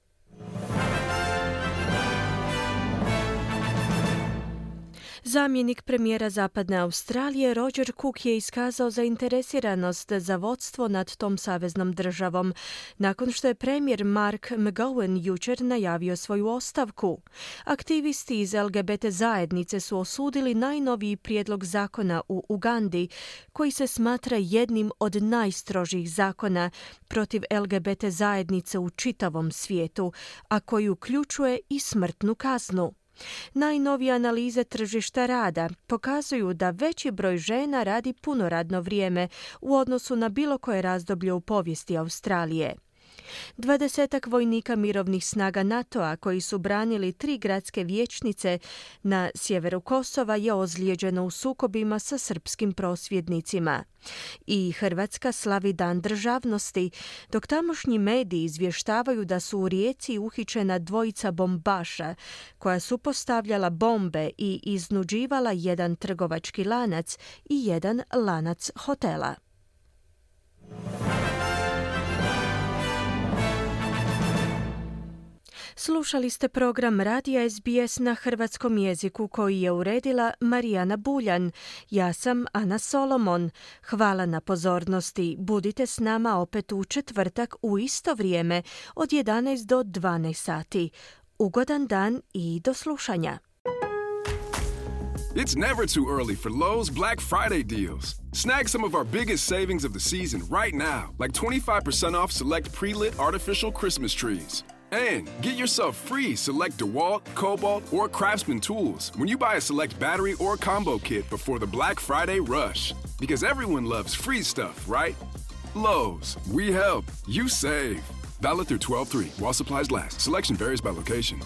Zamjenik premijera Zapadne Australije Roger Cook je iskazao zainteresiranost za vodstvo nad tom saveznom državom, nakon što je premijer Mark McGowan jučer najavio svoju ostavku. Aktivisti iz L G B T zajednice su osudili najnoviji prijedlog zakona u Ugandi, koji se smatra jednim od najstrožih zakona protiv L G B T zajednice u čitavom svijetu, a koji uključuje i smrtnu kaznu. Najnovije analize tržišta rada pokazuju da veći broj žena radi puno radno vrijeme u odnosu na bilo koje razdoblje u povijesti Australije. Dvadesetak vojnika mirovnih snaga NATO-a koji su branili tri gradske vijećnice na sjeveru Kosova je ozlijeđeno u sukobima sa srpskim prosvjednicima. I Hrvatska slavi Dan državnosti, dok tamošnji mediji izvještavaju da su u Rijeci uhićena dvojica bombaša koja su postavljala bombe i iznuđivala jedan trgovački lanac i jedan lanac hotela. Slušali ste program Radija S B S na hrvatskom jeziku koji je uredila Marijana Buljan. Ja sam Ana Solomon. Hvala na pozornosti. Budite s nama opet u četvrtak u isto vrijeme od jedanaest do dvanaest sati. Ugodan dan i do slušanja. It's never too early for Lowe's Black Friday deals. Snag some of our biggest savings of the season right now, like twenty-five percent off select pre-lit artificial Christmas trees. And get yourself free select DeWalt, Cobalt, or Craftsman tools when you buy a select battery or combo kit before the Black Friday rush. Because everyone loves free stuff, right? Lowe's, we help, you save. Valid through twelve three while supplies last. Selection varies by location.